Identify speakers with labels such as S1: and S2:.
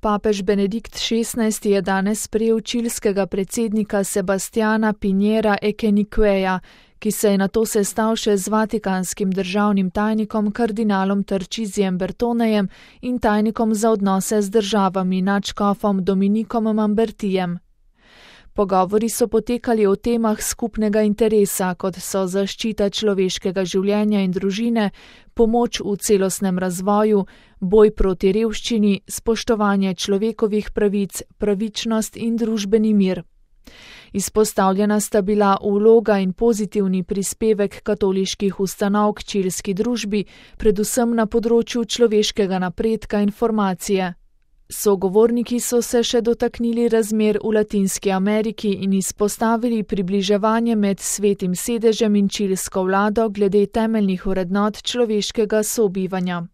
S1: Papež Benedikt XVI je danes sprejel čilskega predsednika Sebastiana Piñera Echenikveja, ki se je nato sestal še z vatikanskim državnim tajnikom kardinalom Tarcisijem Bertonejem in tajnikom za odnose z državami nadškofom Dominikom Mambertijem. Pogovori so potekali o temah skupnega interesa, kot so zaščita človeškega življenja in družine, pomoč v celostnem razvoju, boj proti revščini, spoštovanje človekovih pravic, pravičnost in družbeni mir. Izpostavljena sta bila vloga in pozitivni prispevek katoliških ustanov k čilski družbi, predvsem na področju človeškega napredka in formacije. Sogovorniki so se še dotaknili razmer v Latinski Ameriki in izpostavili približevanje med Svetim sedežem in čilsko vlado glede temeljnih vrednot človeškega sobivanja.